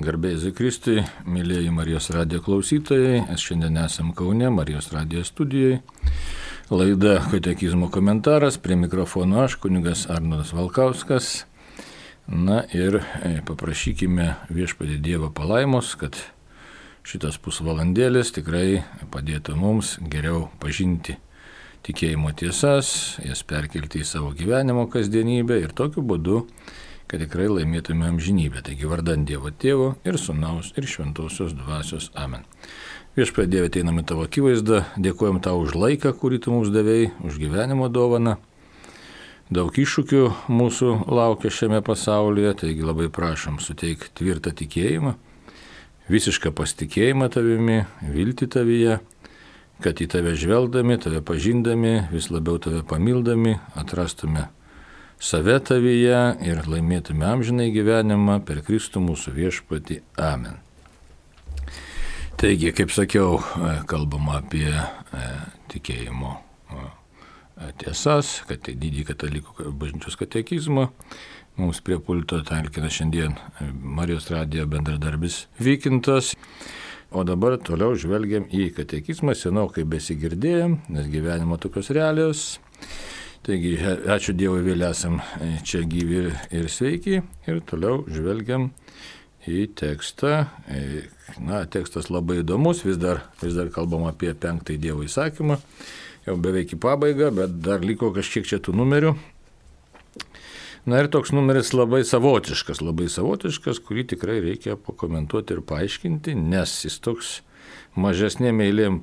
Garbė Jėzui Kristui, mėlyjeji Marijos radijo klausytojai, šiandien esam Kaune, Marijos radijo studijoje. Laida Katekizmo komentaras, prie mikrofono aš, kunigas Arnoldas Valkauskas. Na ir paprašykime Viešpatį Dievo palaimos, kad šitas pusvalandėlis tikrai padėtų mums geriau pažinti tikėjimo tiesas, jas perkelti į savo gyvenimo kasdienybę ir tokiu būdu, kad tikrai laimėtume amžinybę. Taigi vardan Dievo Tėvo ir Sūnaus ir Šventosios Dvasios. Amen. Viešpatie Dieve, ateiname Tavo akivaizdą, dėkojam Tau už laiką, kurį Tu mums davei, už gyvenimo dovaną. Daug iššūkių mūsų laukia šiame pasaulyje, taigi labai prašom suteik tvirtą tikėjimą, visišką pasitikėjimą Tavimi, viltį Tavyje, kad į Tave žvelgdami, Tave pažindami, vis labiau Tave pamildami, atrastume save Tavyje ir laimėtume amžinai gyvenimą per Kristų mūsų Viešpatį. Amen. Taigi, kaip sakiau, kalbama apie tikėjimo tiesas, kad tai didį katalikų bažnyčios katekizmą. Mums prie pulto talkina šiandien Marijos radijo bendradarbis Vykintas. O dabar toliau žvelgiam į katekizmą, senokai besigirdėjom, nes gyvenimo tokios realijos. Taigi, ačiū Dievui, vėl esam čia gyvi ir sveiki ir toliau žvelgiam į tekstą. Tekstas labai įdomus, vis dar kalbam apie 5 Dievo įsakymą, jau beveik į pabaigą, bet dar liko kažkiek čia tų numerių. Ir toks numeris labai savotiškas, kurį tikrai reikia pakomentuoti ir paaiškinti, nes jis toks mažesnėm eilėm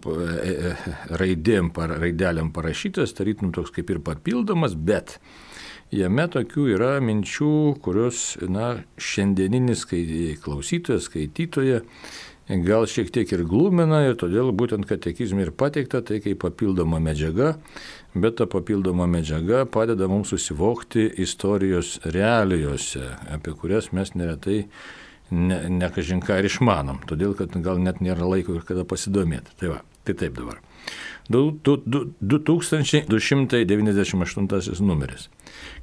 raidelėm parašytas, tarytum toks kaip ir papildomas, bet jame tokių yra minčių, kurios, šiandieninis klausytojas, skaitytoja gal šiek tiek ir glumina ir todėl būtent katekizme ir pateikta tai kaip papildoma medžiaga, bet ta papildoma medžiaga padeda mums susivokti istorijos realijose, apie kurias mes neretai ne kažin ką ir išmanom, todėl kad gal net nėra laiko ir kada pasidomėti. Tai taip dabar. 2298 numeris.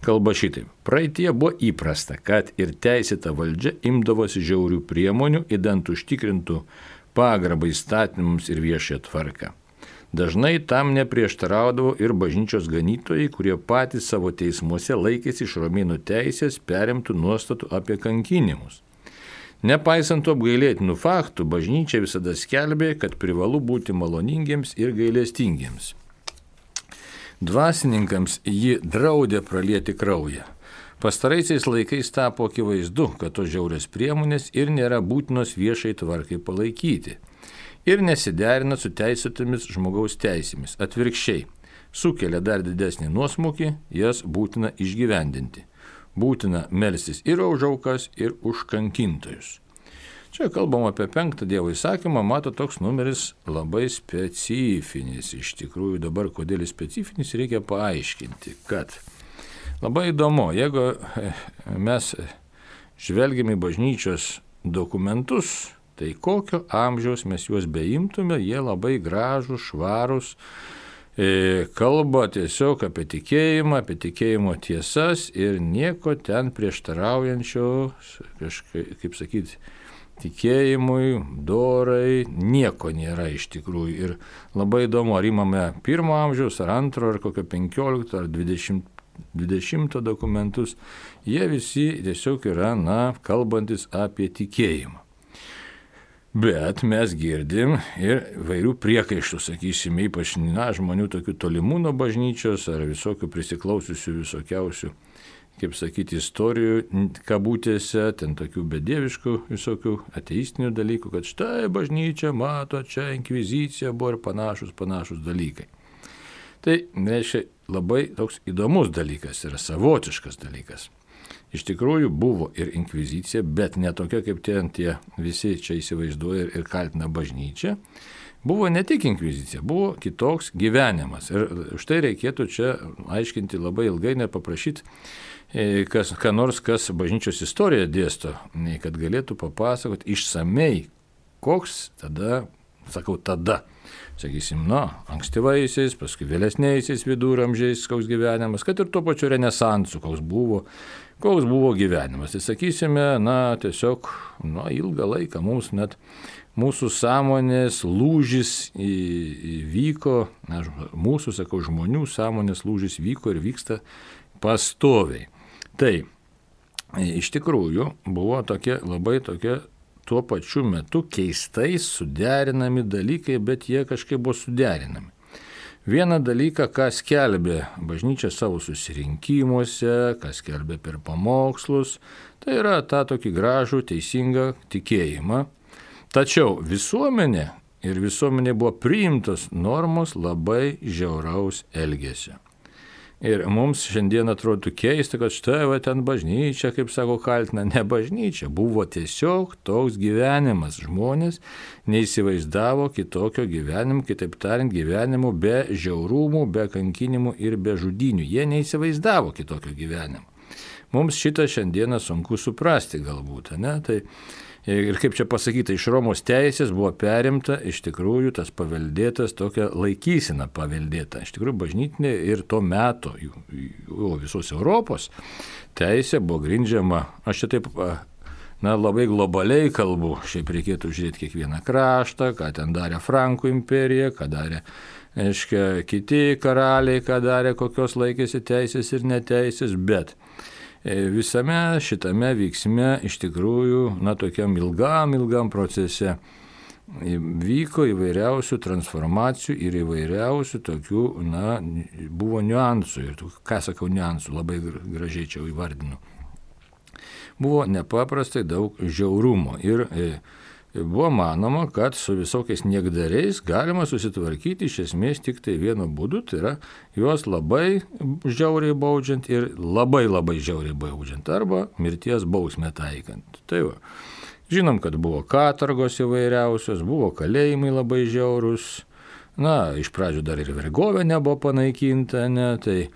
Kalba šitaip. Praeitie buvo įprasta, kad ir teisėta valdžia imdavosi žiaurių priemonių, idant užtikrintų pagarbą įstatymams ir viešąją tvarką. Dažnai tam neprieštaraudavo ir bažnyčios ganytojai, kurie patys savo teismuose laikėsi iš romėnų teisės perimtų nuostatų apie kankinimus. Nepaisant tų apgailėtinų faktų, bažnyčia visada skelbė, kad privalu būti maloningiems ir gailestingiems. Dvasininkams ji draudė pralieti kraują. Pastaraisiais laikais tapo akivaizdu, kad tos žiaurios priemonės ir nėra būtinos viešai tvarkai palaikyti ir nesiderina su teisėtomis žmogaus teisėmis. Atvirkščiai, sukelia dar didesnį nuosmukį, jas būtina išgyvendinti. Būtina melstis ir už aukas, ir už kankintojus. Čia kalbam apie 5 Dievo įsakymą, toks numeris labai specifinis. Iš tikrųjų dabar, kodėl jis specifinis, reikia paaiškinti, kad labai įdomu, jeigu mes žvelgiam į bažnyčios dokumentus, tai kokio amžiaus mes juos beimtume, jie labai gražūs, švarūs, kalba tiesiog apie tikėjimo tiesas ir nieko ten prieštaraujančio, kaip sakyti, tikėjimui, dorai, nieko nėra iš tikrųjų. Ir labai įdomu, ar imame 1 amžiaus, ar 2, ar kokio 15, ar 20 dokumentus, jie visi tiesiog yra, kalbantis apie tikėjimą. Bet mes girdim ir vairių priekaištų, sakysime, ypač žmonių tokių tolimų nuo bažnyčios ar visokių prisiklausiusių visokiausių, kaip sakyti, istorijų kabutėse, ten tokių bedieviškų visokių ateistinių dalykų, kad štai bažnyčia mato, čia inkvizicija buvo ir panašus dalykai. Tai reiškia labai toks įdomus dalykas, yra savotiškas dalykas. Iš tikrųjų buvo ir inkvizicija, bet ne tokia, kaip tie visi čia įsivaizduoja ir kaltina bažnyčią. Buvo ne tik inkvizicija, buvo kitoks gyvenimas. Ir už tai reikėtų čia aiškinti labai ilgai, nepaprašyti, kas bažnyčios istoriją dėsto, kad galėtų papasakoti išsamei, koks tada sakau tada. Sakysim, ankstyvaisiais, paskui vėlesniaisiais viduramžiais koks gyvenimas, kad ir tuo pačiu renesansu, koks buvo gyvenimas. Tai sakysime, tiesiog, ilgą laiką mums net mūsų sąmonės lūžis įvyko, mūsų, žmonių sąmonės lūžis vyko ir vyksta pastoviai. Tai iš tikrųjų buvo labai tokie tuo pačiu metu keistai suderinami dalykai, bet jie kažkaip buvo suderinami. Vieną dalyką, ką skelbė bažnyčia savo susirinkimuose, ką skelbė per pamokslus, tai yra tą tokį gražų, teisingą tikėjimą. Tačiau visuomenė buvo priimtos normos labai žiauraus elgesio. Ir mums šiandien atrodo keista, kad štai ten bažnyčia, kaip sako, kaltina, ne bažnyčia, buvo tiesiog toks gyvenimas. Žmonės neįsivaizdavo kitokio gyvenimo, kitaip tariant, gyvenimo be žiaurumų, be kankinimų ir be žudynių. Jie neįsivaizdavo kitokio gyvenimo. Mums šitą šiandieną sunku suprasti galbūt, ne? Tai ir kaip čia pasakyta, iš Romos teisės buvo perimta iš tikrųjų tas paveldėtas, tokia laikysena paveldėta. Iš tikrųjų bažnytinė ir to meto, visos Europos teisė buvo grindžiama, aš čia taip labai globaliai kalbu, šiaip reikėtų žiūrėti kiekvieną kraštą, ką ten darė Frankų imperija, ką darė kiti karaliai, ką darė, kokios laikėsi teisės ir neteisės, bet visame šitame vyksme iš tikrųjų, tokiam ilgam procese vyko įvairiausių transformacijų ir įvairiausių tokių, buvo niuansų. Ir ką sakau niuansų, labai gražiai čia įvardinu. Buvo nepaprastai daug žiaurumo ir buvo manoma, kad su visokiais niekdariais galima susitvarkyti iš esmės tik tai vienu būdu, tai yra juos labai žiauriai baudžiant ir labai žiauriai baudžiant arba mirties bausmę taikant. Tai va, žinom, kad buvo katorgos įvairiausios, buvo kalėjimai labai žiaurūs, iš pradžių dar ir vergovė nebuvo panaikinta, tai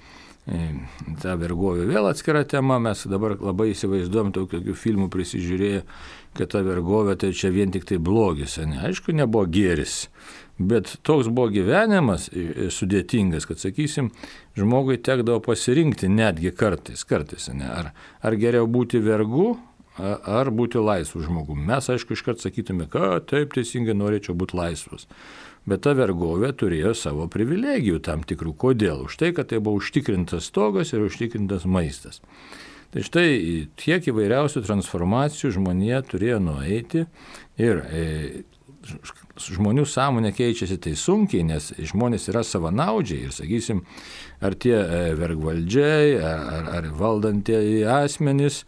ta vergovė vėl atskira tema, mes dabar labai įsivaizduojam tokių filmų prisižiūrėję, kad ta vergovė tai čia vien tik tai blogis, aišku, nebuvo gėris, bet toks buvo gyvenimas sudėtingas, kad, sakysim, žmogui tekdavo pasirinkti netgi kartais, ar geriau būti vergu, ar būti laisvu žmogumi. Mes, aišku, iškart sakytume, kad taip teisingai norėčiau būti laisvas. Bet ta vergovė turėjo savo privilegijų tam tikrų. Kodėl? Už tai, kad tai buvo užtikrintas stogas ir užtikrintas maistas. Tai štai tiek įvairiausių transformacijų žmonija turėjo nueiti ir žmonių sąmonė keičiasi tai sunkiai, nes žmonės yra savanaudžiai ir, sakysim, ar tie vergvaldžiai, ar valdantieji asmenys,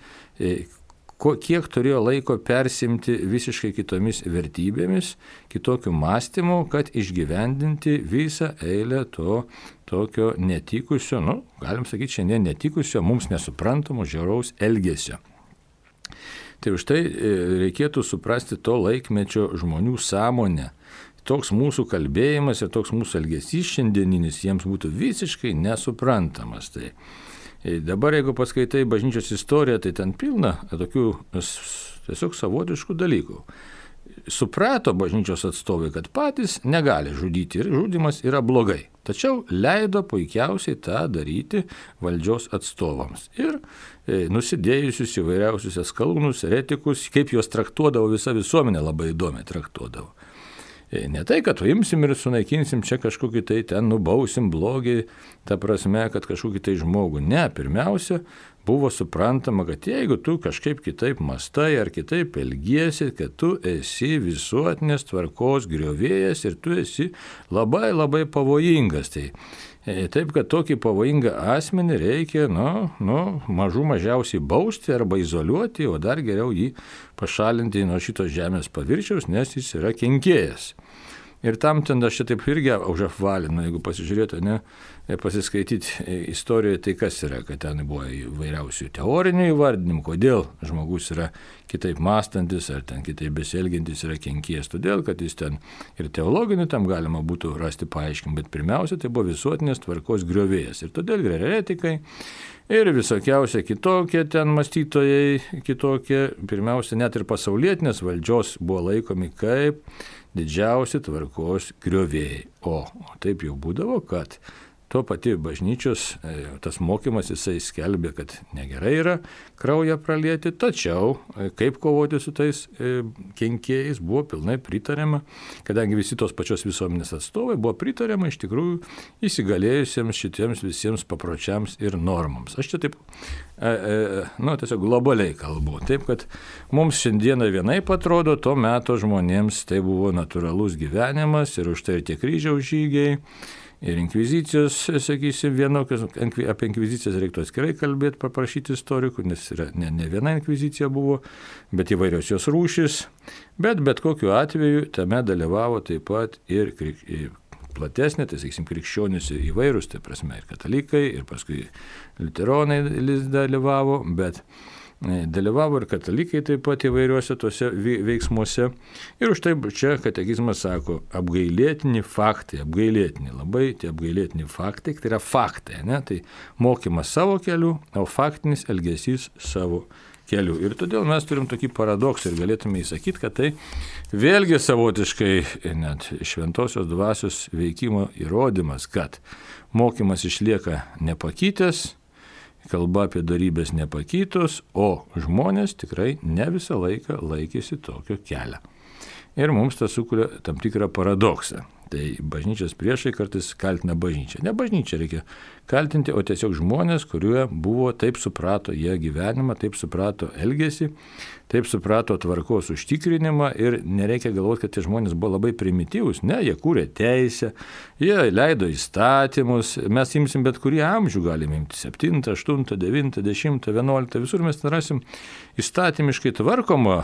kiek turėjo laiko persimti visiškai kitomis vertybėmis, kitokiu mąstymu, kad išgyvendinti visą eilę to tokio netikusio, galim sakyti šiandien netikusio, mums nesuprantamo žiauraus elgesio. Tai už tai reikėtų suprasti to laikmečio žmonių sąmonę. Toks mūsų kalbėjimas ir toks mūsų elgesys šiandieninis jiems būtų visiškai nesuprantamas. Tai dabar, jeigu paskaitai bažnyčios istoriją, tai ten pilna tokių tiesiog savotiškų dalykų. Suprato bažnyčios atstovai, kad patys negali žudyti ir žudymas yra blogai. Tačiau leido puikiausiai tą daryti valdžios atstovams. Ir nusidėjusius įvairiausius eskalūnus, eretikus, kaip juos traktuodavo visa visuomenė, labai įdomiai traktuodavo. Ne tai, kad imsim ir sunaikinsim čia kažkokį tai ten nubausim blogį, ta prasme, kad kažkokį tai žmogų. Ne, pirmiausia, buvo suprantama, kad jeigu tu kažkaip kitaip mąstai ar kitaip elgiesi, kad tu esi visuotinės tvarkos griovėjas ir tu esi labai pavojingas. Taip, kad tokį pavojingą asmenį reikia, mažų mažiausiai bausti arba izoliuoti, o dar geriau jį pašalinti nuo šitos žemės paviršiaus, nes jis yra kenkėjas. Ir tam ten aš čia taip irgi užapvalinu, jeigu pasižiūrėtų, pasiskaityti istorijoje, tai kas yra, kad ten buvo įvairiausių teorinių įvardinimų, kodėl žmogus yra kitaip mąstantis ar ten kitaip besielgiantis yra kenkėjas, todėl, kad jis ten ir teologinių tam galima būtų rasti paaiškinimą, bet pirmiausia, tai buvo visuotinės tvarkos griovėjas ir todėl ir eretikai ir visokiausia kitokie ten mąstytojai, kitokie, pirmiausia, net ir pasaulietinės valdžios buvo laikomi kaip didžiausi tvarkos griovėjai. O taip jau būdavo, kad to pati bažnyčios tas mokymas jisai skelbė, kad negerai yra kraują pralieti, tačiau kaip kovoti su tais kenkėjais buvo pilnai pritariama, kadangi visi tos pačios visuomenės atstovai buvo pritariama iš tikrųjų įsigalėjusiems šitiems visiems papročiams ir normams. Aš čia taip, tiesiog globaliai kalbu. Taip, kad mums šiandieną vienaip atrodo, to meto žmonėms tai buvo natūralus gyvenimas ir už tai ir tie kryžiaus žygiai. Ir inkvizicijos, sakysim, vienokios, apie inkvizicijas reiktų atskirai kalbėti, paprašyti istorikų, nes ne viena inkvizicija buvo, bet įvairios jos rūšis, bet kokiu atveju tame dalyvavo taip pat ir platesnė, tai sakysim, krikščionys įvairūs, tai prasme ir katalikai, ir paskui liuteronai dalyvavo, bet dalyvavo ir katalikai taip pat įvairiuose tuose veiksmuose. Ir už tai čia katekizmas sako, apgailėtini faktai, labai tie apgailėtini faktai, tai yra faktai, ne? Tai mokymas savo keliu, o faktinis elgesys savo keliu. Ir todėl mes turim tokį paradoksą ir galėtume įsakyti, kad tai vėlgi savotiškai net šventosios dvasios veikimo įrodymas, kad mokymas išlieka nepakitęs, kalba apie darybės nepakytos, o žmonės tikrai ne visą laiką laikėsi tokio kelio. Ir mums tas sukuria tam tikrą paradoksą. Tai bažnyčios priešai kartais kaltina bažnyčią. Ne bažnyčią reikia kaltinti, o tiesiog žmonės, kurie buvo, taip suprato jie gyvenimą, taip suprato elgesį, taip suprato tvarkos užtikrinimą ir nereikia galvoti, kad tie žmonės buvo labai primityvūs. Ne, jie kūrė teisę, jie leido įstatymus, mes imsim bet kurį amžių, galime imti 7, 8, 9, 10, 11, visur mes rasim įstatymiškai tvarkomą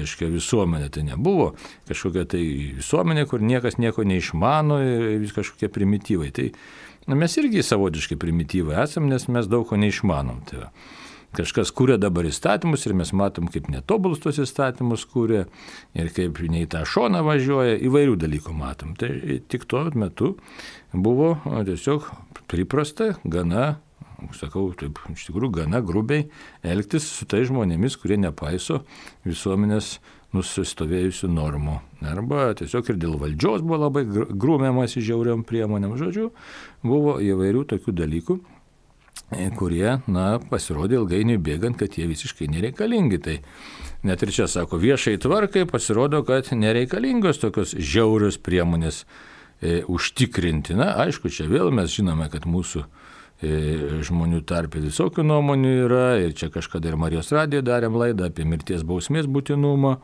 visuomenę. Tai nebuvo kažkokia tai visuomenė, kur niekas nieko neišmano ir vis kažkokie primityvai. Tai mes irgi savotiškai primityvai esam, nes mes daug ko neišmanom. Tai kažkas kūrė dabar įstatymus ir mes matom, kaip netobulus tos įstatymus kūrė ir kaip ne į tą šoną važiuoja, įvairių dalykų matom. Tai tik tuo metu buvo tiesiog priprasta gana, sakau, taip, iš tikrųjų gana grubiai elgtis su tai žmonėmis, kurie nepaiso visuomenės nusistovėjusių normų. Arba tiesiog ir dėl valdžios buvo labai grūmiamas į žiauriom priemonėm. Žodžiu, buvo įvairių tokių dalykų, kurie, pasirodė ilgainiui bėgant, kad jie visiškai nereikalingi. Tai net ir čia, sako, viešai tvarkai pasirodo, kad nereikalingos tokios žiaurios priemonės užtikrinti. Aišku, čia vėl mes žinome, kad mūsų žmonių tarpe visokių nuomonių yra ir čia kažkada ir Marijos radijoje darėm laidą apie mirties bausmės būtinumą.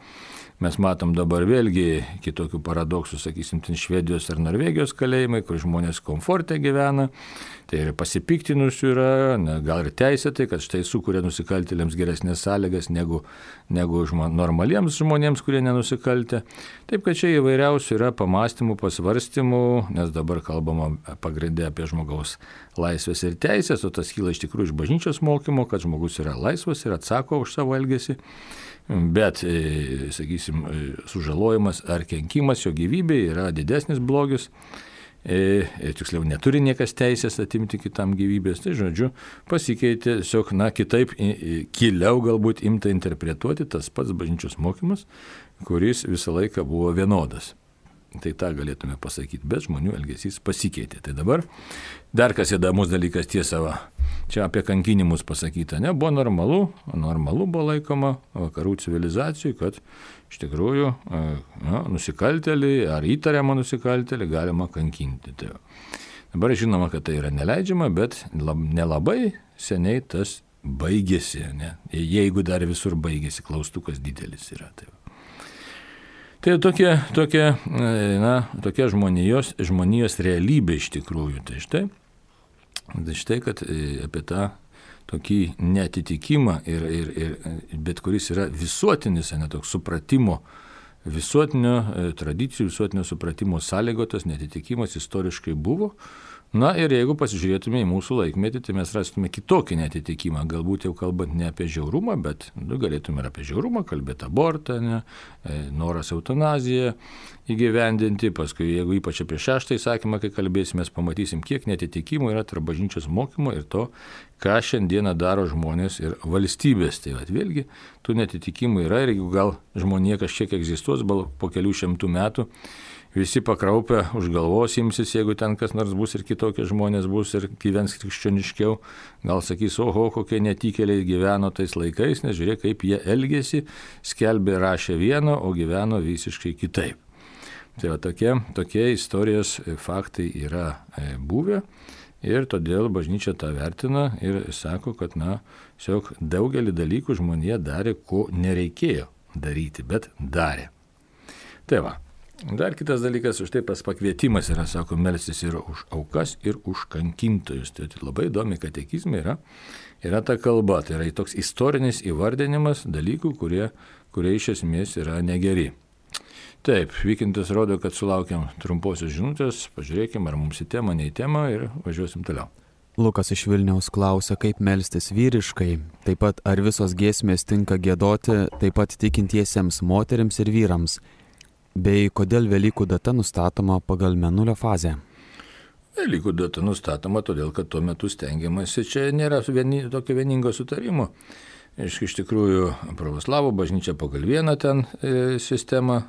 Mes matom dabar vėlgi kitokių paradoksų, sakysim, Švedijos ar Norvegijos kalėjimai, kur žmonės komforte gyvena, tai ir pasipiktinusių yra, gal ir teisėtai, kad štai sukuria nusikaltėliams geresnės sąlygas negu normaliems žmonėms, kurie nenusikaltė. Taip, kad čia įvairiausių yra pamastymų, pasvarstymų, nes dabar kalbama pagrindė apie žmogaus laisvės ir teisės, o tas kyla iš tikrųjų iš bažnyčios mokymo, kad žmogus yra laisvas ir atsako už savo elgesį. Bet, sakysim, sužalojimas ar kenkimas jo gyvybei yra didesnis blogis, tiksliau neturi niekas teisės atimti kitam gyvybės, tai žodžiu pasikeitė tiesiog, kitaip, giliau galbūt imta interpretuoti tas pats bažnyčios mokymas, kuris visą laiką buvo vienodas. Tai tą galėtume pasakyti, bet žmonių elgesys pasikeitė. Tai dabar dar kas įdomus dalykas tiesa, čia apie kankinimus pasakyta, buvo normalu buvo laikoma vakarų civilizacijų, kad iš tikrųjų nusikaltėlį ar įtariamą nusikaltėlį galima kankinti. Tai dabar žinoma, kad tai yra neleidžiama, bet nelabai seniai tas baigėsi, jeigu dar visur baigėsi, klaustukas didelis yra. Tai tokia žmonijos realybė iš tikrųjų. Tai štai, kad apie tą tokį neatitikimą bet kuris yra visuotinis, toks supratimo, visuotinio tradicijų, visuotinio supratimo sąlygotas neatitikimas istoriškai buvo Na ir jeigu pasižiūrėtume į mūsų laikmetį, tai mes rastume kitokį netitikimą. Galbūt jau kalbant ne apie žiaurumą, bet galėtume ir apie žiaurumą kalbėti, abortą, noras eutanaziją įgyvendinti. Paskui, jeigu ypač apie 6 įsakymą, kai kalbėsime, mes pamatysim, kiek netitikimų yra tarp bažnyčios mokymo ir to, ką šiandieną daro žmonės ir valstybės. Tai vėlgi, tų netitikimų yra ir jeigu gal žmonė kažkiek egzistuos, po kelių šimtų metų, visi pakraupę už galvos imsis, jeigu ten kas nors bus ir kitokie žmonės bus ir gyvens krikščioniškiau, gal sakys, oho, kokie netikėliai gyveno tais laikais, nes žiūrėk, kaip jie elgėsi, skelbė, rašė vieno, o gyveno visiškai kitaip. Tai tokie istorijos faktai yra buvę ir todėl bažnyčia tą vertina ir sako, kad tiesiog daugelį dalykų žmonija darė, ko nereikėjo daryti, bet darė. Tai va. Dar kitas dalykas, už tai pakvietimas yra, sako, melstis ir už aukas, ir už kankintojus. Tai labai įdomi katekizmai yra ta kalba, tai yra toks istorinis įvardinimas dalykų, kurie iš esmės yra negeri. Taip, Vykintas rodo, kad sulaukiam trumposios žinutės, pažiūrėkim, ar mums į temą, ne į temą ir važiuosim toliau. Lukas iš Vilniaus klausia, kaip melstis vyriškai, taip pat ar visos giesmės tinka giedoti, taip pat tikintiesiems moteriams ir vyrams. Bei kodėl Velykų data nustatoma pagal mėnulio fazę? Velykų data nustatoma todėl, kad tuo metu stengiamasi, čia nėra tokio vieningo sutarimo. Iš tikrųjų, pravoslavų bažnyčia pagal vieną ten sistemą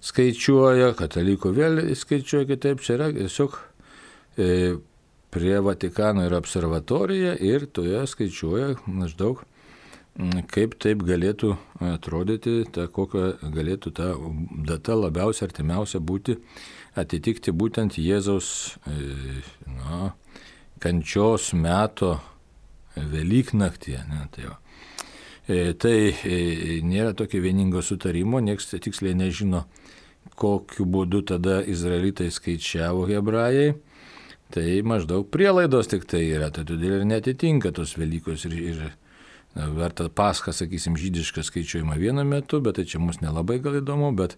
skaičiuoja, katalikų vėl skaičiuoja kitaip, čia yra tiesiog prie Vatikano yra observatorija ir toje skaičiuoja maždaug kaip taip galėtų atrodyti, kokia galėtų ta data labiausiai artimiausia būti, atitikti būtent Jėzaus kančios meto Velyknaktį. Tai nėra tokio vieningo sutarimo, nieks tiksliai nežino, kokiu būdu tada izraelitai skaičiavo hebrajai. Tai maždaug prielaidos tik tai yra, tai todėl ir netitinka tos Velykos ir verta Pascha, sakysim, žydišką skaičiuojama vienu metu, bet tai čia mums nelabai gal įdomu, bet,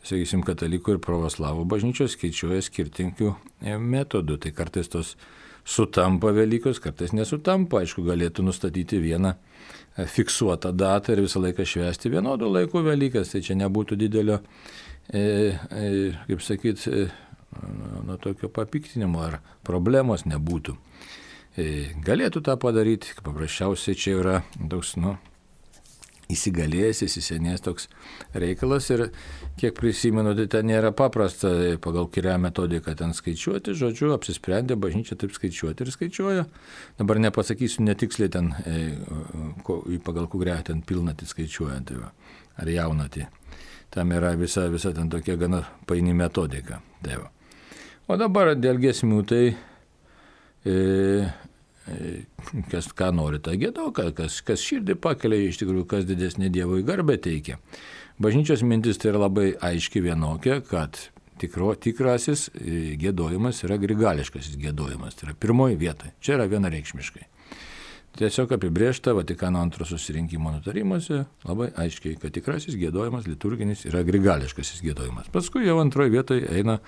sakysim, katalikų ir pravoslavų bažnyčios skaičiuoja skirtingų metodų. Tai kartais tos sutampa Velykos, kartais nesutampa. Aišku, galėtų nustatyti vieną fiksuotą datą ir visą laiką švęsti vienodų laikų Velykas. Tai čia nebūtų didelio, kaip sakyt, tokio papiktinimo ar problemos nebūtų. Galėtų tą padaryti, paprasčiausiai čia yra toks, įsigalėjęs, įsisenėjęs toks reikalas ir kiek prisimenu, tai ten nėra paprasta pagal kurią metodiką ten skaičiuoti, žodžiu, apsisprendė bažnyčia taip skaičiuoti ir skaičiuoja. Dabar nepasakysiu netiksliai ten, pagal kurią ten pilnatį skaičiuojant, ar jaunatį. Tam yra visa ten tokia gana paini metodika. Tai va. O dabar dėl giesmių, tai kas ką nori, tą giedo, kas širdį pakelia, iš tikrųjų, kas didesnė Dievui garbę teikia. Bažnyčios mintis tai yra labai aiški vienokia, kad tikrasis giedojimas yra grigališkasis giedojimas, tai yra pirmoji vieta. Čia yra vienareikšmiškai. Tiesiog apibrėžta Vatikano antro susirinkimo nutarimuose labai aiškiai, kad tikrasis giedojimas liturginis yra grigališkasis giedojimas. Paskui jau antroje vietoje eina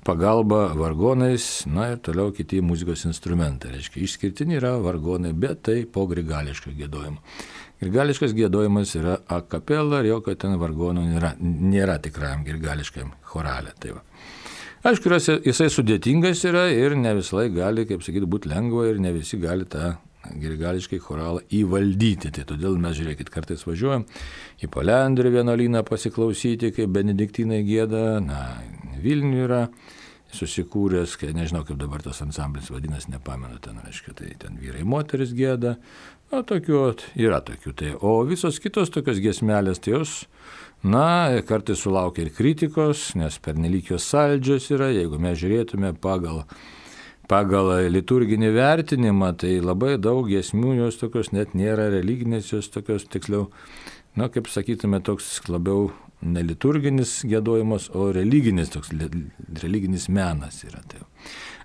pagalba vargonais, ir toliau kiti muzikos instrumentai. Reiškia, išskirtiniai yra vargonai, bet tai po grigališko giedojimo. Grigališkas giedojimas yra a capella ir jokio ten vargonų nėra tikrajam grigališkam chorale. Tai va. Aišku, jisai sudėtingas yra ir ne visai gali, kaip sakyti, būti lengva ir ne visi gali tą grigališkai choralą įvaldyti. Tai todėl mes, žiūrėkit, kartais važiuojam į Palendrių vienuolyną pasiklausyti, kaip benediktinai gieda. Vilniuje yra susikūręs, nežinau, kaip dabar tas ansamblis vadinasi, nepamenu, ten, reiškia, tai ten vyrai moteris gieda. Yra tokių. Tai, o visos kitos tokios giesmelės, tai jos, kartais sulaukia ir kritikos, nes pernelyg jos saldžios yra. Jeigu mes žiūrėtume pagal liturginį vertinimą, tai labai daug giesmių jos tokios net nėra religinės, jos tokios tiksliau, kaip sakytume, toks labiau neliturginis giedojimas, o religinis menas yra. Tai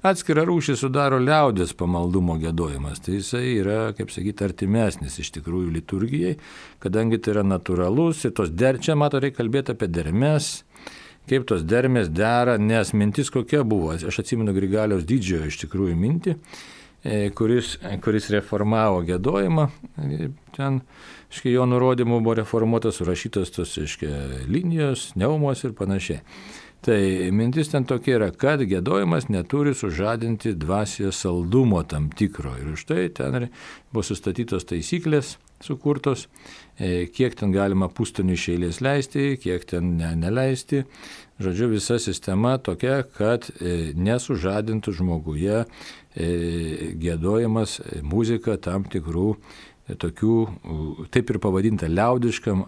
atskira rūšį sudaro liaudės pamaldumo giedojimas, tai jisai yra, kaip sakyti, artimesnis iš tikrųjų liturgijai, kadangi tai yra natūralus ir čia, reikia kalbėti apie dermes, kaip tos dermės dera, nes mintis kokia buvo. Aš atsimenu Grigaliaus Didžiojo iš tikrųjų mintį, kuris reformavo giedojimą. Ten, jo nurodymų buvo reformuotas, surašytas tos, linijos, neumos ir panašiai. Tai mintis ten tokia yra, kad giedojimas neturi sužadinti dvasios saldumo tam tikro. Ir už tai ten buvo sustatytos taisyklės sukurtos, kiek ten galima pustonių iš eilės leisti, kiek ten neleisti. Žodžiu, visa sistema tokia, kad nesužadintų žmoguje giedojimas, muzika tam tikrų tokių, taip ir pavadinta liaudiškam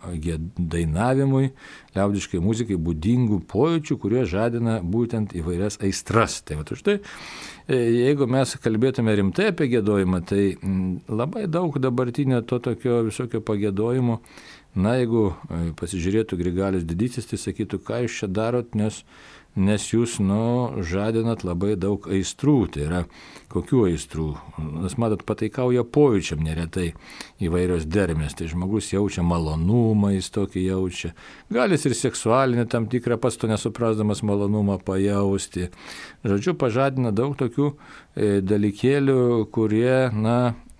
dainavimui, liaudiškai muzikai būdingų pojūčių, kurie žadina būtent įvairias aistras. Tai va, štai, jeigu mes kalbėtume rimtai apie giedojimą, tai labai daug dabartinio to tokio visokio pagiedojimo, jeigu pasižiūrėtų Grigalius Didysis, tai sakytų, ką jūs čia darot, nes jūs žadinat labai daug aistrų. Tai yra, kokių aistrų? Nes matot, pataikauja pojūčiam neretai įvairios dermės. Tai žmogus jaučia malonumą, jis tokį jaučia. Galis ir seksualinį tam tikrą, pats to nesuprasdamas malonumą pajausti. Žodžiu, pažadina daug tokių dalykėlių, kurie,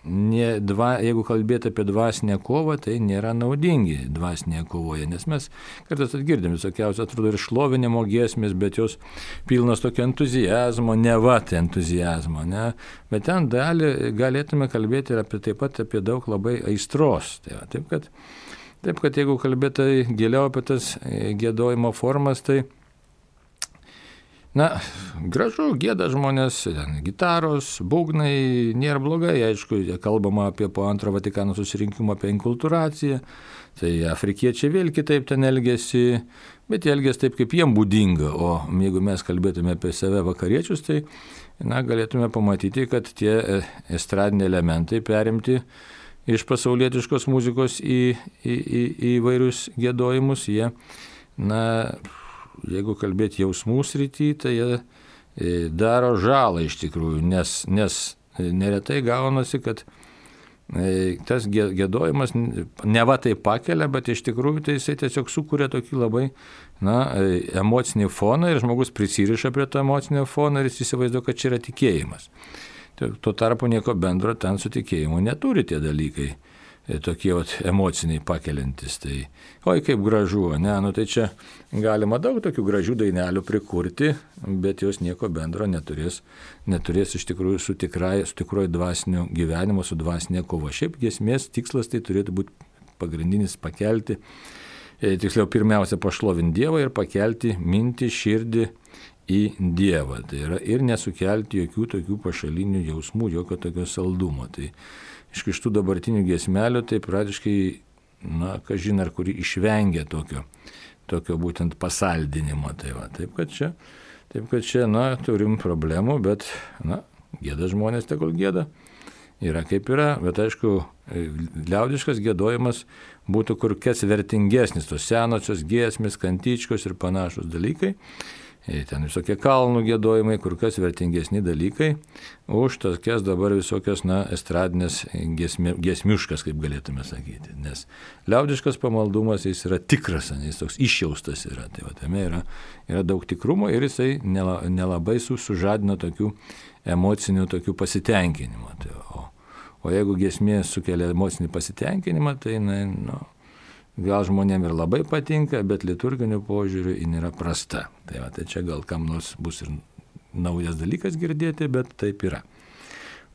jeigu kalbėti apie dvasinę kovą, tai nėra naudingi dvasinėje kovoje, nes mes kartais atgirdėm visokiausios, atrodo, ir šlovinimo giesmės, bet jos pilnos tokio entuzijazmo, entuzijazmo, ne? Bet ten galėtume kalbėti ir taip pat apie daug labai aistros. Taip kad jeigu kalbėti giliau apie tas giedojimo formas, tai gražu, gieda žmonės, gitaros, būgnai, nėra blogai, aišku, kalbama apie po antro Vatikano susirinkimo apie inkulturaciją, tai afrikiečiai vėl kitaip ten elgėsi, bet jie elgėsi taip, kaip jiem būdinga, o jeigu mes kalbėtume apie save vakariečius, tai galėtume pamatyti, kad tie estradiniai elementai perimti iš pasaulietiškos muzikos į vairius giedojimus, jie, jeigu kalbėti jausmų srity, tai jie daro žalą iš tikrųjų, nes neretai gaunasi, kad tas giedojimas neva tai pakelia, bet iš tikrųjų tai jisai tiesiog sukuria tokį labai emocinį foną ir žmogus prisiriša prie to emocinio fono ir jis įsivaizduoja, kad čia yra tikėjimas. Tuo tarpu nieko bendro ten su tikėjimu neturi tie dalykai. Tokie emociniai pakeliantis. Tai, oi kaip gražu, tai čia galima daug tokių gražių dainelių prikurti, bet jos nieko bendro neturės iš tikrųjų su tikroju dvasiniu gyvenimu, su dvasinė kova. Šiaip giesmės tikslas tai turėtų būti pagrindinis pakelti, tiksliau pirmiausia pašlovinti Dievą ir pakelti mintį, širdį į Dievą. Tai yra ir nesukelti jokių tokių pašalinių jausmų, jokio tokio saldumo. Tai iš kištų dabartinių giesmelių, tai praktiškai, kažin ar kuri išvengia tokio būtent pasaldinimo. Taip kad čia, turim problemų, bet, gieda žmonės, tegul gieda. Yra kaip yra, bet aišku, liaudiškas giedojimas būtų kur kas vertingesnis, tos senosios giesmės, kantičkos ir panašus dalykai. Ten visokie kalnų giedojimai, kur kas vertingesni dalykai, už tokias dabar visokios, estradinės giesmiuškas, kaip galėtume sakyti. Nes liaudiškas pamaldumas, jis yra tikras, jis toks išjaustas yra. Tai tame yra daug tikrumo ir jisai nelabai sužadina tokių emocinių tokių pasitenkinimų. O jeigu giesmė sukelia emocinį pasitenkinimą, tai, gal žmonėm ir labai patinka, bet liturginiu požiūriu ji nėra prasta. Tai čia gal kam nors bus ir naujas dalykas girdėti, bet taip yra.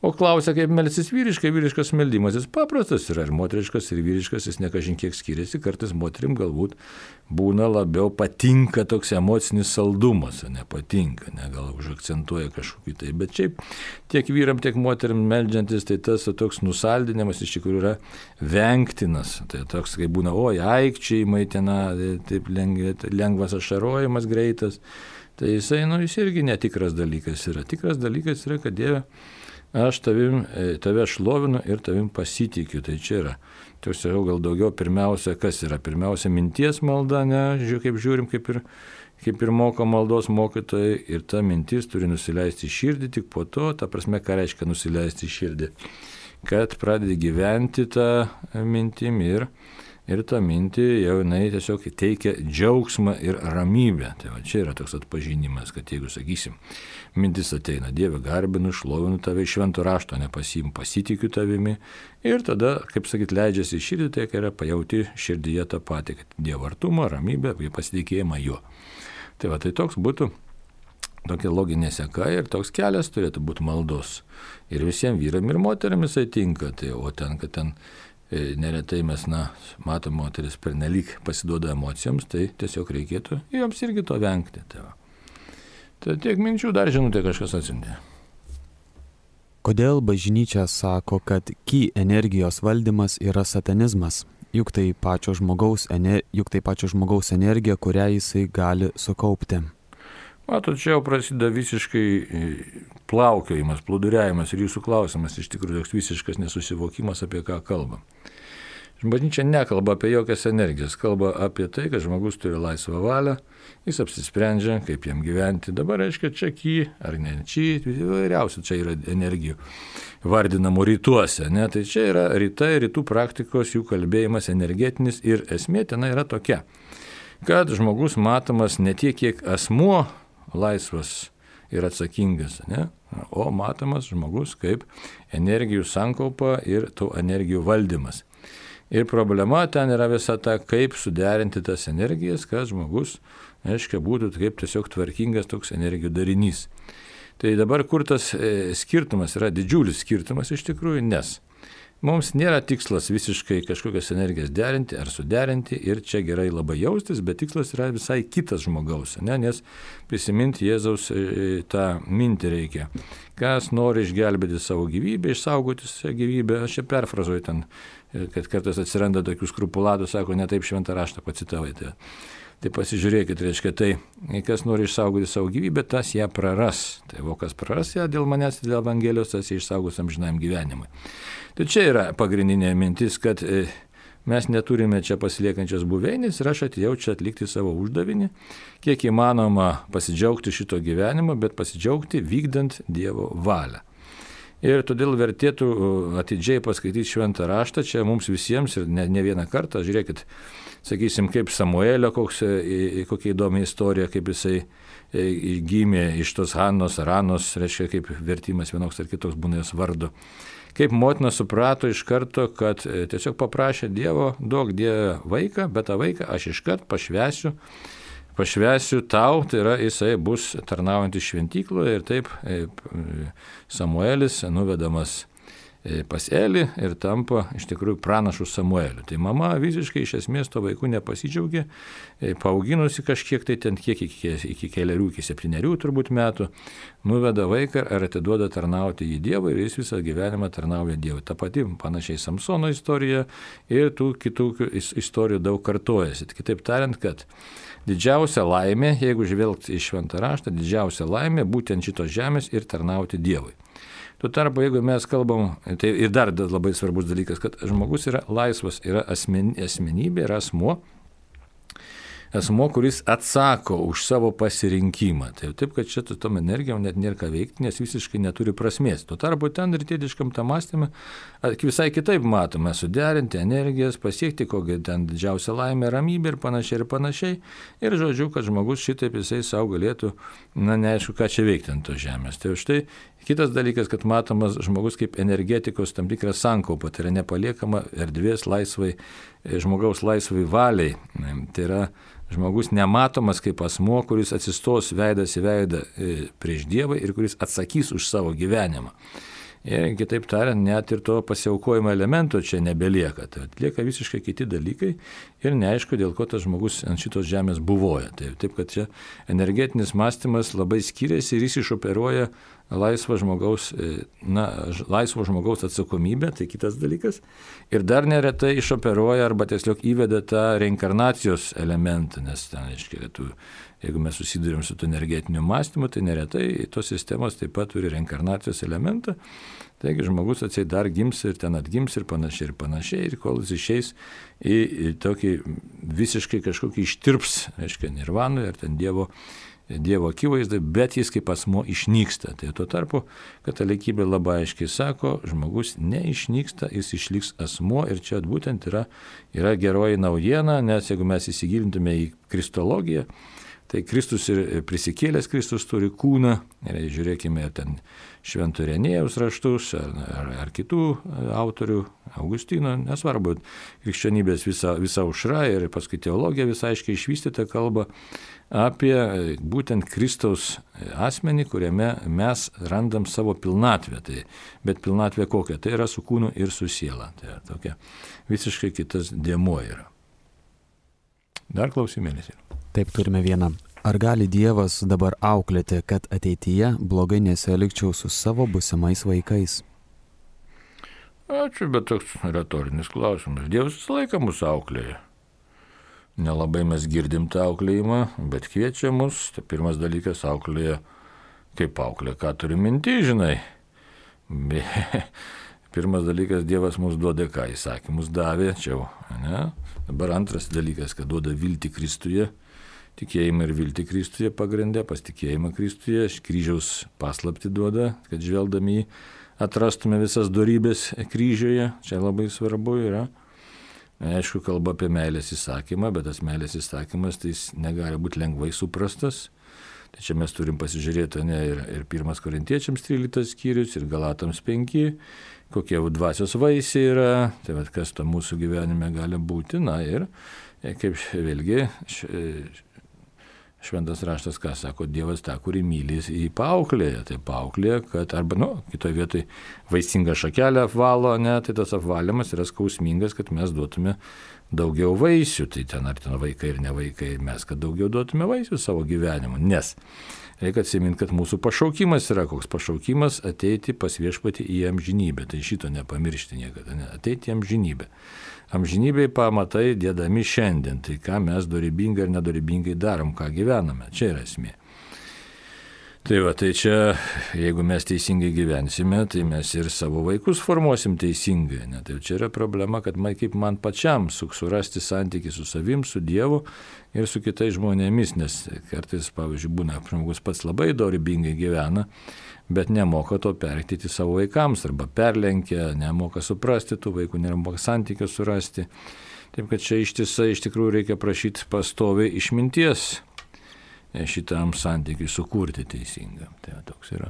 O klausia, kaip melstis vyriškai, vyriškas meldimas, jis paprastas yra, ir moteriškas, ir vyriškas, jis ne kažin kiek skiriasi, kartais moterim galbūt būna labiau patinka toks emocinis saldumas, nepatinka, gal užakcentuoja kažkokį tai, bet šiaip tiek vyram, tiek moterim meldžiantis, tai tas toks nusaldinimas iš tikrųjų yra vengtinas, tai toks, kai būna, aikčiai, taip lengvas ašarojimas greitas, tai jisai, jis irgi netikras dalykas yra. Tikras dalykas yra, kad Dieve, aš tave šlovinu ir tavim pasitikiu. Tai čia yra. Tiesiog gal daugiau pirmiausia, kas yra? Pirmiausia, minties malda, kaip žiūrim, kaip ir moko maldos mokytojai. Ir ta mintis turi nusileisti į širdį, tik po to, ta prasme, ką reiškia nusileisti į širdį. Kad pradedi gyventi tą mintim ir ir ta mintį jau jinai tiesiog teikia džiaugsmą ir ramybę. Tai va čia yra toks atpažinimas, kad jeigu, sakysim, mintis ateina, Dieve garbinu, šlovinu tave, iš švento rašto nepasiimu, pasitikiu tavimi ir tada, kaip sakyt, leidžiasi į širdį, tai yra pajauti širdyje tą patį, kad Dievo artumą, ramybę, pasitikėjimą juo. Tai va, tai toks būtų tokia loginė seka ir toks kelias turėtų būti maldos. Ir visiems vyram ir moteriam jisai tinka, tai, o ten, kad ten neretai mes, matom, moteris pernelyg pasiduoda emocijoms, tai tiesiog reikėtų joms irgi to vengti. Tai tiek minčių, dar žinutė kažkas atsiuntė. Kodėl bažnyčia sako, kad ki energijos valdymas yra satanizmas? Juk tai pačio žmogaus energija, kurią jisai gali sukaupti. Matot, čia jau prasideda visiškai plaukiojimas, plūduriavimas ir jūsų klausimas iš tikrųjų toks visiškas nesusivokimas, apie ką kalbam. Bažnyčia nekalba apie jokias energijas, kalba apie tai, kad žmogus turi laisvą valią, jis apsisprendžia, kaip jam gyventi. Dabar reiškia čia ki ar ne či, įvairiausių čia yra energijų vardinamų rytuose. Ne? Tai čia yra rytų praktikos, jų kalbėjimas energetinis ir esmė ten yra tokia, kad žmogus matomas ne tiek, kiek asmuo laisvas ir atsakingas, ne? O matomas žmogus kaip energijų sankaupa ir tų energijų valdymas. Ir problema ten yra visa ta, kaip suderinti tas energijas, kad žmogus, aiškiai, būtų kaip tiesiog tvarkingas toks energijų darinys. Tai dabar kur tas skirtumas yra didžiulis skirtumas iš tikrųjų, nes mums nėra tikslas visiškai kažkokias energijas derinti ar suderinti ir čia gerai labai jaustis, bet tikslas yra visai kitas žmogaus, ne? Nes prisiminti Jėzaus tą mintį reikia. Kas nori išgelbėti savo gyvybę, išsaugoti savo gyvybę, aš čia perfrazuoju ten, kad kartais atsiranda tokių skrupulatų, sako, ne taip šventą raštą pacitavai. Tai pasižiūrėkit, reiškia, tai kas nori išsaugoti savo gyvybę, tas ją praras. Tai kas praras ją dėl manęs, dėl Evangelijos, tas ją išsaugos amžinajam gyvenimui. Tai čia yra pagrindinė mintis, kad mes neturime čia pasiliekančios buveinės ir aš atėjau čia atlikti savo uždavinį, kiek įmanoma pasidžiaugti šito gyvenimo, bet pasidžiaugti vykdant Dievo valią. Ir todėl vertėtų atidžiai paskaityti šventą raštą, čia mums visiems ir ne vieną kartą, žiūrėkit, sakysim, kaip Samuelio, kokia įdomi istorija, kaip jisai gimė iš tos Hanos ar Anos, reiškia, kaip vertimas vienoks ar kitoks būna jos vardu. Kaip motina suprato iš karto, kad tiesiog paprašė Dievo, duok Dieve vaiką, bet tą vaiką aš iškart pašvęsiu tau, tai yra jisai bus tarnaujantis šventykloje ir taip Samuelis nuvedamas pas Elį ir tampa iš tikrųjų pranašu Samueliu. Tai mama visiškai iš esmės to vaikų nepasidžiaugė, paauginusi kažkiek tai ten kiek iki 7 turbūt metų, nuveda vaiką ir atiduoda tarnauti į Dievą ir jis visą gyvenimą tarnauja Dievui. Ta pati panašiai Samsono istorija ir tų kitų istorijų daug kartojasi. Kitaip tariant, kad didžiausia laimė, jeigu žvelgti į šventą raštą, didžiausia laimė būtent šitos žemės ir tarnauti Dievui. Tuo tarpu, jeigu mes kalbam, tai ir dar labai svarbus dalykas, kad žmogus yra laisvas, yra asmenybė, yra asmuo, kuris atsako už savo pasirinkimą. Tai taip, kad čia tom energijom net nėra ką veikti, nes visiškai neturi prasmės. Tuo tarpu ten rytietiškam tam mąstymui visai kitaip matome suderinti energijas, pasiekti kokią ten didžiausią laimę, ramybę ir panašiai. Ir žodžiu, kad žmogus šitaip jisai savo galėtų, neaišku, ką čia veikti ant tos žemės. Tai štai kitas dalykas, kad matomas žmogus kaip energetikos tam tikras sankaupa, tai yra nepaliekama erdvės žmogaus laisvai valiai. Tai yra žmogus nematomas kaip asmuo, kuris atsistos veidas į veidą prieš Dievą ir kuris atsakys už savo gyvenimą. Ir kitaip tariant, net ir to pasiaukojimo elemento čia nebelieka. Tai lieka visiškai kiti dalykai ir neaišku, dėl ko tas žmogus ant šitos žemės buvoja. Taip, kad čia energetinis mąstymas labai skiriasi ir jis išoperuoja laisvo žmogaus atsakomybę, tai kitas dalykas. Ir dar neretai išoperuoja arba tiesiog įveda tą reinkarnacijos elementą, nes ten, aiškiai, jeigu mes susidurėm su to energetiniu mąstymu, tai neretai tos sistemos taip pat turi reinkarnacijos elementą. Taigi žmogus atseit dar gims ir ten atgims ir panašiai, ir kol jis išeis į tokį visiškai kažkokį ištirps, aiškiai, nirvanui ar ten Dievo Dievo akivaizdai, bet jis kaip asmo išnyksta. Tai tuo tarpu katalikybė labai aiškiai sako, žmogus neišnyksta, jis išliks asmo ir čia būtent yra geroji naujiena, nes jeigu mes įsigilintume į kristologiją, tai Kristus ir prisikėlęs Kristus turi kūną, ir žiūrėkime ten Švento Irenėjaus raštus ar kitų autorių, Augustino, nesvarbu, krikščionybės visa aušra ir paskui teologija visai aiškiai išvystyta kalba apie būtent Kristaus asmenį, kuriame mes randam savo pilnatvę. Bet pilnatvė kokia? Tai yra su kūnu ir su siela. Tai yra tokia visiškai kitas dėmuo yra. Dar klausimėlis yra. Taip, turime vieną. Ar gali Dievas dabar auklėti, kad ateityje blogai nesielgčiau su savo būsimais vaikais? Ačiū, bet toks retorinis klausimas. Dievas visą laiką mus auklėja. Nelabai mes girdim tą auklėjimą, bet kviečia mus. Tai pirmas dalykas auklėja, kaip auklė, ką turi minti, žinai. Pirmas dalykas, Dievas mums duoda ką, įsakymus davė, čia, ne? Dabar antras dalykas, kad duoda viltį Kristuje, tikėjimą ir viltį Kristuje pagrindė, pasitikėjimą Kristuje, kryžiaus paslaptį duoda, kad žvelgdami jį atrastume visas dorybės kryžiuje, čia labai svarbu yra. Aišku, kalba apie meilės įsakymą, bet tas meilės įsakymas tai jis negali būti lengvai suprastas. Tai čia mes turim pasižiūrėti ir 1 Korintiečiams 13 skyrius, ir Galatams 5, kokie dvasios vaisiai yra, tai vat, kas to mūsų gyvenime gali būti, na ir kaip vėlgi Šventas raštas, ką sako, Dievas tą, kurį myli, jį paauklėja. Tai paauklėja, kad arba, kitoje vietoje vaisingą šakelę apvalo, tai tas apvalymas yra skausmingas, kad mes duotume daugiau vaisių. Tai ten ar ten vaikai ir ne vaikai, mes, kad daugiau duotume vaisių savo gyvenimu. Nes reikia atsiminti, kad mūsų pašaukimas yra koks pašaukimas ateiti pas Viešpatį į amžinybę. Tai šito nepamiršti niekada, ateiti į amžinybę. Amžinybėj pamatai dėdami šiandien, tai ką mes dorybingai ir nedorybingai darom, ką gyvename, čia yra esmė. Tai čia, jeigu mes teisingai gyvensime, tai mes ir savo vaikus formuosim teisingai. Tai čia yra problema, kad kaip man pačiam surasti santykį su savim, su Dievu ir su kitais žmonėmis, nes kartais, pavyzdžiui, būna žmogus pats labai dorybingai gyvena, bet nemoka to perteikti savo vaikams, arba perlenkia, nemoka suprasti tų vaikų, nemoka santykio surasti. Taip kad čia ištisai iš tikrųjų reikia prašyti pastoviai išminties šitam santykiui sukurti teisingam. Tai toks yra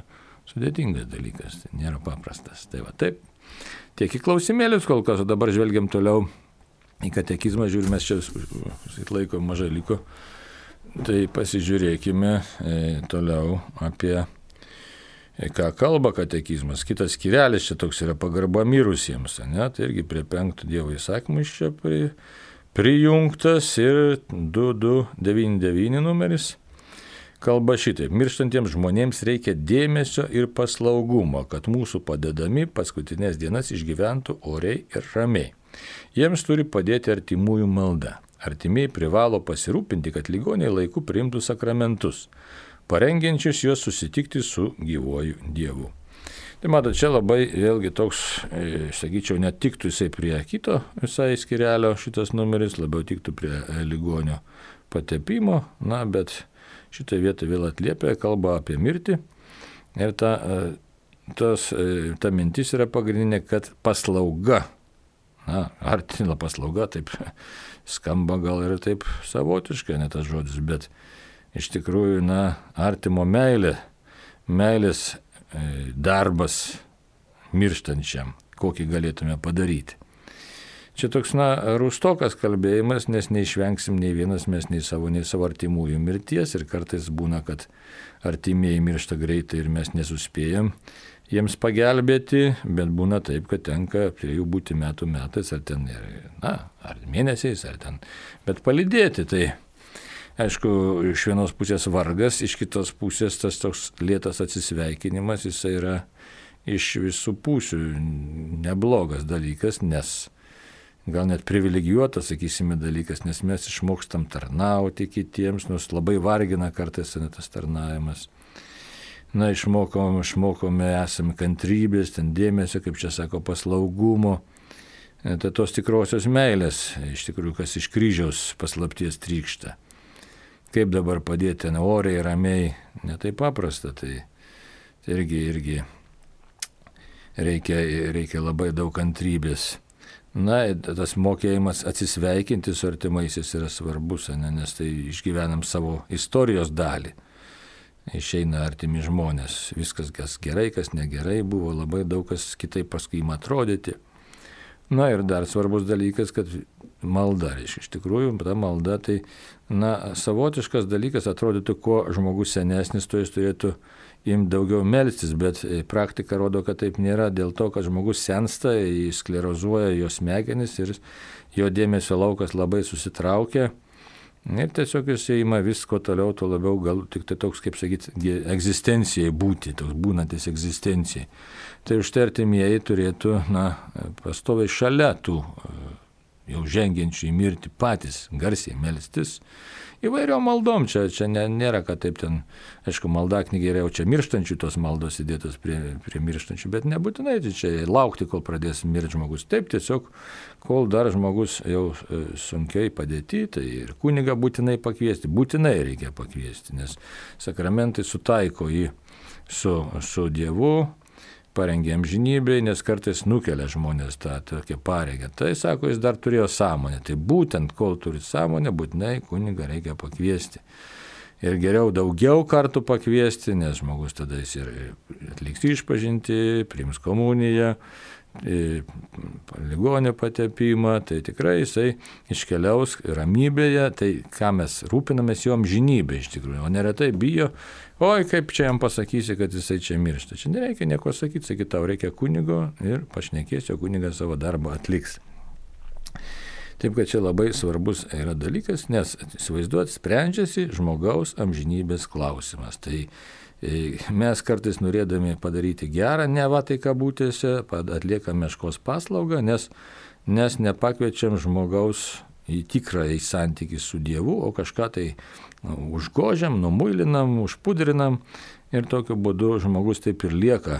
sudėtingas dalykas, tai nėra paprastas. Tai taip, tiek į klausimėlius kol kas, o dabar žvelgiam toliau į katekizmą, žiūrime, mes čia laiko mažai liko, tai pasižiūrėkime toliau apie ką kalba katekizmas. Kitas skyrelis čia toks yra pagarba mirusiems, tai irgi prie 5 Dievo įsakymų iš čia prijungtas ir 2299 numeris. Kalba šitaip, mirštantiems žmonėms reikia dėmesio ir paslaugumo, kad mūsų padedami paskutinės dienas išgyventų oriai ir ramiai. Jiems turi padėti artimųjų malda. Artimiai privalo pasirūpinti, kad ligoniai laiku priimtų sakramentus, parengiančius juos susitikti su gyvuoju Dievu. Tai matot, čia labai vėlgi toks, sakyčiau, netiktų jisai prie kito visai skyrelio šitas numeris, labiau tiktų prie ligonio patepimo, bet šitą vietą vėl atliepia, kalba apie mirtį ir ta mintis yra pagrindinė, kad paslauga, artina paslauga, taip skamba gal ir taip savotiškai, ne tas žodis, bet iš tikrųjų, artimo meilės darbas mirštančiam, kokį galėtume padaryti. Čia toks, rūstokas kalbėjimas, nes neišvengsim nei vienas mes nei savo artimųjų mirties ir kartais būna, kad artimieji miršta greitai ir mes nesuspėjam jiems pagelbėti, bet būna taip, kad tenka prie jų būti metais ar ten, ar mėnesiais, ar ten, bet palydėti. Tai aišku, iš vienos pusės vargas, iš kitos pusės tas toks lėtas atsisveikinimas, jisai yra iš visų pusių neblogas dalykas, nes gal net privilegijuotas, sakysime, dalykas, nes mes išmokstam tarnauti kitiems, nors labai vargina kartais tas tarnavimas. Išmokome, esame kantrybės, ten dėmesio, kaip čia sako, paslaugumo, tai tos tikrosios meilės, iš tikrųjų, kas iš kryžiaus paslapties trykšta. kaip dabar padėti ten oriai, ramiai, netai paprasta, tai irgi reikia labai daug kantrybės. Na, tas mokėjimas atsisveikinti su artimaisiais yra svarbus, nes tai išgyvenam savo istorijos dalį. Išeina artimi žmonės, viskas kas gerai, kas negerai buvo, labai daug kas kitaip paskui ima atrodyti. Na ir dar svarbus dalykas, kad malda, iš tikrųjų, ta malda tai, savotiškas dalykas, atrodytų, kuo žmogus senesnis, to jis turėtų imti daugiau melstis, bet praktika rodo, kad taip nėra, dėl to, kad žmogus sensta, jis sklerozuoja jo smegenis ir jo dėmesio laukas labai susitraukia. Ir tiesiog jis įima visko toliau, to labiau gal tik tai toks, kaip sakyti, egzistencijai būti, toks būnantis egzistencijai. Tai už tai artimieji turėtų, pastoviai šalia tų jau žengiančių į mirtį patys garsiai melstis. Įvairiom maldom, čia nėra, kad taip ten, aišku, maldaknygė yra jau čia mirštančių tos maldos įdėtos prie mirštančių, bet nebūtinai čia laukti, kol pradės mirti žmogus. Taip, tiesiog, kol dar žmogus jau sunkiai padėti, tai ir kunigą būtinai pakviesti, būtinai reikia pakviesti, nes sakramentai sutaiko jį su Dievu, parengia amžinybei, nes kartais nukelia žmonės tą tokią pareigą. Tai sako, jis dar turėjo sąmonę. Tai būtent, kol turi sąmonę, būtinai kunigą reikia pakviesti. Ir geriau daugiau kartų pakviesti, nes žmogus tada jis ir atliks išpažintį, priims komuniją, ligonio patepimą, tai tikrai jisai iškeliaus ramybėje, tai ką mes rūpinamės jo amžinybė iš tikrųjų, o neretai bijo, oi kaip čia jam pasakysi, kad jisai čia miršta. Čia nereikia nieko sakyti, sakyt, tau reikia kunigo ir pašnekėsi, o kunigas savo darbą atliks. Taip, kad čia labai svarbus yra dalykas, nes įsivaizduot, sprendžiasi žmogaus amžinybės klausimas. Tai mes kartais norėdami padaryti gerą, neva tai kabutėse, atliekam meškos paslaugą, nes nepakviečiam žmogaus į tikrąjį santykį su Dievu, o kažką tai užgožiam, numuilinam, užpudrinam ir tokiu būdu žmogus taip ir lieka,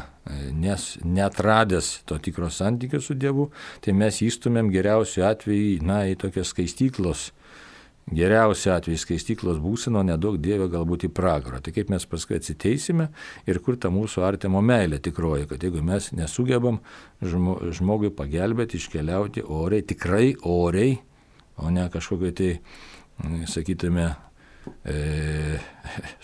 nes netradęs to tikro santykio su Dievu, tai mes įstumėm geriausiu atveju, į tokias skaistyklos, geriausiu atveju skaistyklos būsino, nedaug Dievė galbūt į pragarą. Tai kaip mes paskui atsiteisime ir kur ta mūsų artimo meilė tikroji, kad jeigu mes nesugebam žmogui pagelbėti, iškeliauti oriai, tikrai oriai, o ne kažkokiai tai, sakytume,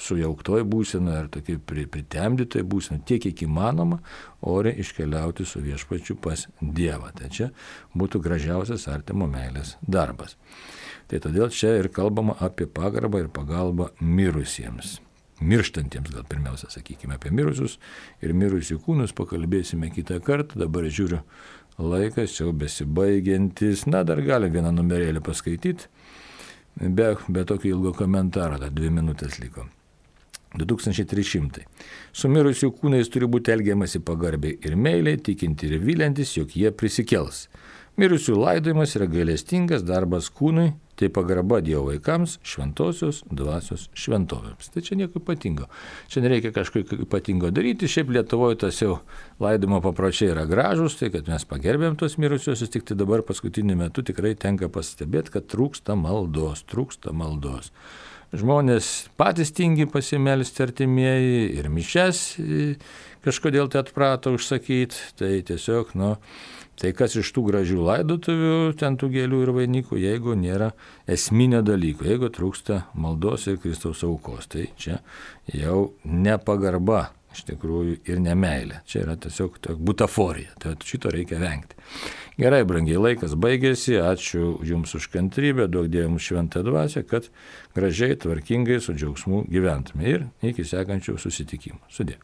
sujauktoj būsena ar tokiai pritemdytoj būsena, tiek kiek įmanoma, oriai iškeliauti su viešpačiu pas Dievą. Tai čia būtų gražiausias artimo meilės darbas. Tai todėl čia ir kalbama apie pagarbą ir pagalbą mirusiems. Mirštantiems gal pirmiausia, sakykime, apie mirusius ir mirusių kūnus pakalbėsime kitą kartą. Dabar žiūriu, laikas jau besibaigiantis. Dar galim vieną numerėlį paskaityti, be tokio ilgo komentaro, dar 2 minutės liko. 2300. Su mirusių kūnais turi būti elgiamasi pagarbiai ir meiliai, tikinti ir vyliantis, jog jie prisikels. Mirusių laidojimas yra gailestingas darbas kūnui, tai pagarba Dievo vaikams, šventosios dvasios šventovėms. Tai čia nieko ypatingo. Čia nereikia kažko ypatingo daryti. Šiaip Lietuvoje tas jau laidojimo papročiai yra gražus, tai kad mes pagerbėm tos mirusiosius, tik tai dabar paskutiniu metu tikrai tenka pastebėti, kad trūksta maldos. Žmonės patys tingi pasimelsti artimieji ir mišias kažkodėl tai atprato užsakyti. Tai tiesiog, tai kas iš tų gražių laidotuvių, ten tų gėlių ir vainikų, jeigu nėra esminio dalyko, jeigu trūksta maldos ir Kristaus aukos, tai čia jau nepagarba iš tikrųjų ir nemeilė. Čia yra tiesiog butaforija, tai šito reikia vengti. Gerai, brangiai, laikas baigėsi, ačiū Jums už kantrybę, duok Dieve mums šventą dvasią, kad gražiai, tvarkingai, su džiaugsmu gyventume ir iki sekančių susitikimų. Sudie.